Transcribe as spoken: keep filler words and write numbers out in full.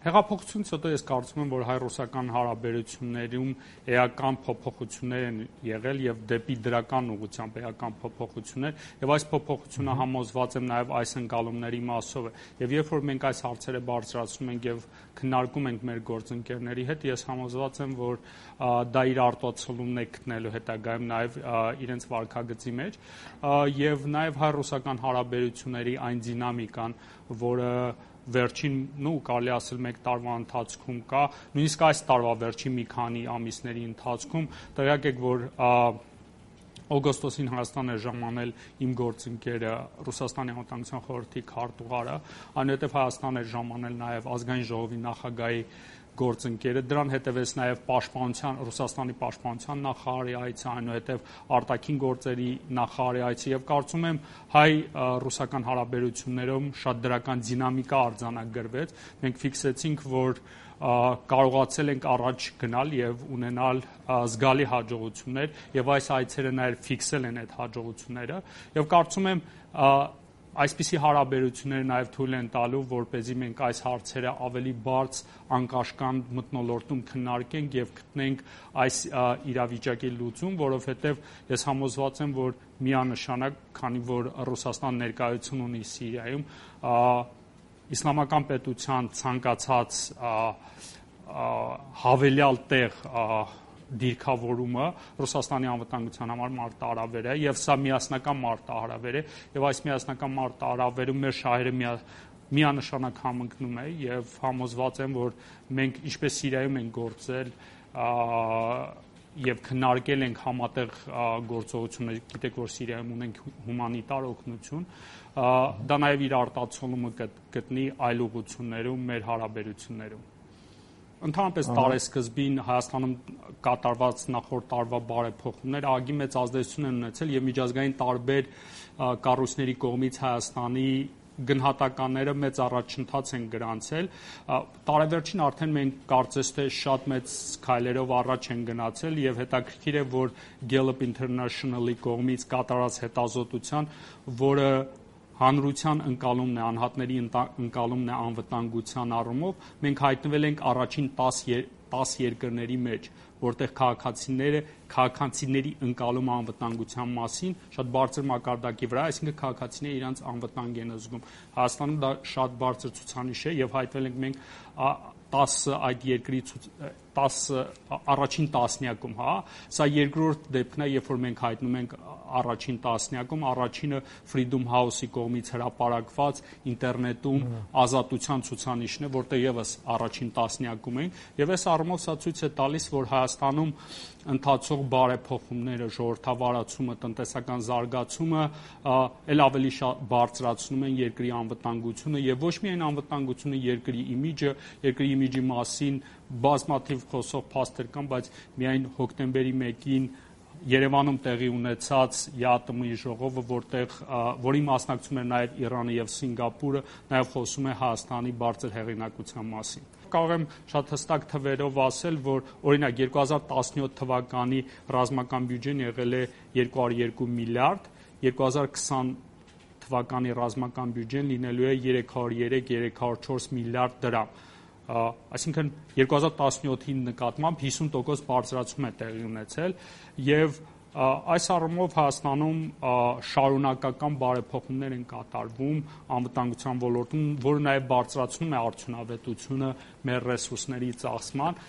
Հեղափոխությունից հետո ես կարծում եմ, որ հայ-ռուսական հարաբերություններում էական փոփոխություններ են եղել եւ դեպի դրական ուղղությամբ էական փոփոխություններ, եւ այս փոփոխությունը համոզված եմ նաեւ այս ընկալումների մասով է։ Եվ երբ որ մենք այս հարցերը բարձրացնում ենք եւ քննարկում ենք մեր գործընկերների հետ, ես համոզված եմ, որ դա իր արտացոլումն է գտնելու հետագայում նաեւ իրենց վարքագծի մեջ եւ նաեւ հայ-ռուսական հարաբերությունների այն դինամիկան, որը վերջին, նու կարելի ասել մեկ տարվա ընթացքում կա, նույնիսկ այս տարվա վերջին մի քանի ամիսների ընթացքում տեղյակ եք, որ օգոստոսին Հայաստան է ժամանել իմ գործընկերը Ռուսաստանի անվտանգության խորհրդի քարտուղարը, այնուհետև Հայաստան է ժամանել նաև ազգային ժողովի նախագահի գործընկերը, դրան հետևեց նաև պաշտպանության Ռուսաստանի պաշտպանության նախարարի այցը, այնուհետև արտաքին գործերի նախարարի այցը եւ կարծում եմ հայ-ռուսական հարաբերություններում շատ դրական դինամիկա արձանագրվեց։ Մենք ֆիքսեցինք, որ կարողացել ենք առաջ գնալ եւ ունենալ զգալի հաջողություններ եւ այս այցերը նաեւ ֆիքսել են այդ հաջողությունները եւ կարծում եմ այսպիսի հարաբերությունները նաև թույլ են տալու, որպեսզի մենք այս հարցերը ավելի բարձ անկաշկանդ մթնոլորտում քննարկենք եւ գտնենք այս իրավիճակի լուծում, որովհետեւ ես համոզված եմ, որ միանշանակ, քանի որ Ռուսաստան ներկայություն ունի Սիրիայում, իսլամական պետության ցանկացած հավելյալ տեղ դիրքավորումը Ռուսաստանի անվտանգության համար մարտահրավեր է եւ սա միասնական մարտահրավեր է եւ այս միասնական մարտահրավերում մեր շահերը միանշանակ համընկնում է եւ համոզված եմ, որ մենք ինչպես Սիրիայում ենք գործել եւ քննարկել ենք համատեղ գործողություններ, գիտեք, որ Սիրիայում ունենք հումանիտար օգնություն, դա նաեւ իր արտացոլումը գտնի այլ ուղղություններում մեր հարաբերություններում։ Ընդհանրապես տարեսկզբին Հայաստանում կատարված նախորդ տարվա բարեփոխումները ահագին մեծ ազդեցություն են ունեցել եւ միջազգային տարբեր կառույցների կողմից Հայաստանի գնահատականները մեծ առաջընթաց են գրանցել։ Տարեվերջին արդեն մենք կարծես թե շատ մեծ քայլերով առաջ են գնացել եւ հետաքրքիր է, որ Gallup International-ի կողմից կատարած հետազոտության, որը հանրության ընկալումն է, անհատների ընկալումն է անվտանգության առումով, մենք հայտնվել ենք առաջին տասը երկրների մեջ, որտեղ քաղաքացիները, քաղաքացիների ընկալումը անվտանգության մասին շատ բարձր մակարդակի վրա, այսինքն քաղաքացիները իրենց անվտանգ են զգում։ Հայաստանում դա շատ բարձր ցուցանիշ է եւ հայտնվել ենք մենք տասը այդ երկրի տասը առաջին տասնյակում, հա, սա երկրորդ դեպքն է, երբ որ մենք հայտնում ենք առաջին տասնյակում, առաջինը Freedom House-ի կողմից հրապարակված ինտերնետում ազատության ցուցանիշն է, որտեղ եւս առաջին տասնյակում ենք, եւ այս առումով սա ցույց է տալիս, որ Հայաստանում ընթացող բարեփոխումները, ժողովրդավարացումը, տնտեսական զարգացումը ել ավելի բարձրացնում են երկրի անվտանգությունը եւ ոչ միայն անվտանգությունը, երկրի իմիջը, երկրի իմիջի մասին բազմաթիվ խոսող փաստեր կան, բայց միայն հոկտեմբերի մեկին Երևանում տեղի ունեցած ԵԱՏՄ-ի ժողովը, որտեղ որի մասնակցում էր նաև Իրանը եւ Սինգապուրը, նաև խոսում է Հայաստանի բարձր հեղինակության մասին։ Կարող եմ շատ հստակ թվերով ասել, որ օրինակ երկու հազար տասնյոթ թվականի ռազմական բյուջեն եղել է երկու հարյուր երկու միլիարդ, երկու հազար քսան թվականի ռազմական բյուջեն լինելու է երեք հարյուր երեք երեք հարյուր չորս միլիարդ դրամ։ Այսինքն երկու հազար տասնյոթի նկատմամբ հիսուն տոկոս բարձրացում է տեղի ունեցել եւ այս առումով Հայաստանում շարունակական բարեփոխումներ են կատարվում անվտանգության ոլորտում, որը նաեւ բարձրացնում է արդյունավետությունը մեր ռեսուրսների ծախսման։